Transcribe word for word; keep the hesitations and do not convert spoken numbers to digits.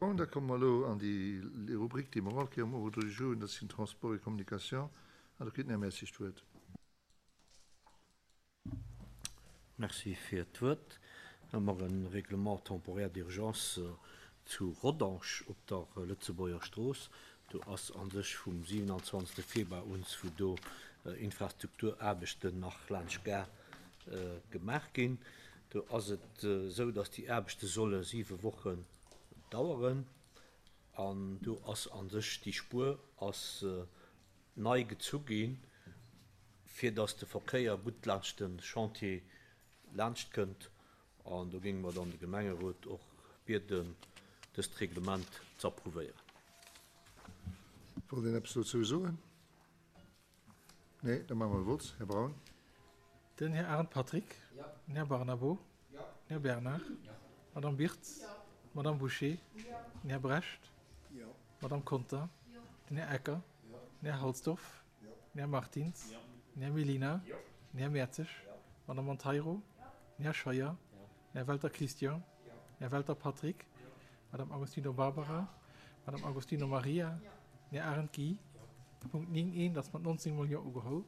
Bon, da komme mer elo an déi Rubrik, déi mer all Kéier um Ordre du jour hunn, dat sinn Transport et Communication. An do kritt den Här Mertzig d'Wuert. Merci fir d'Wuert. Hu mer e Règlement temporaire d'urgence zu Rodange op der Lëtzebuerger Strooss. Do ass a sech vum siewenundzwanzegste Februar un, wou do Infrastrukturaarbechten nach laanscht Gare gemaach ginn. Do ass et esou, datt déi Aarbechte solle siwe Wochen daueren. An do ass a sech déi Spuer ass nei gezu ginn, fir datt de Verkéier gutt laanscht de Chantier laanscht kënnt. An do géinge mer dann de Gemengerot och bieden, dëst Reglement ze approuvéieren. Wollt een eppes dozou soen? Nee, da maache mer e Vott. Här Braun. Den Här Arendt Patrick. Den Här Barnabo. Den Här Bernard. D'Madame Birtz. D'Madame Bouché. Den Här Brecht. D'Madame Conter. Den Här Ecker. Den Här Halsdorf. Den Här Martins. Den Här Mellina. Den Här Mertzig. D'Madame Monteiro. Den Här Scheuer. Den Här Welter Christian. Den Här Welter Patrick. D'Madame Agostino Barbara. D'Madame Agostino Maria. Den Här Arendt Guy. De Punkt néng eent ass mat nonzéng mol Jo ugeholl.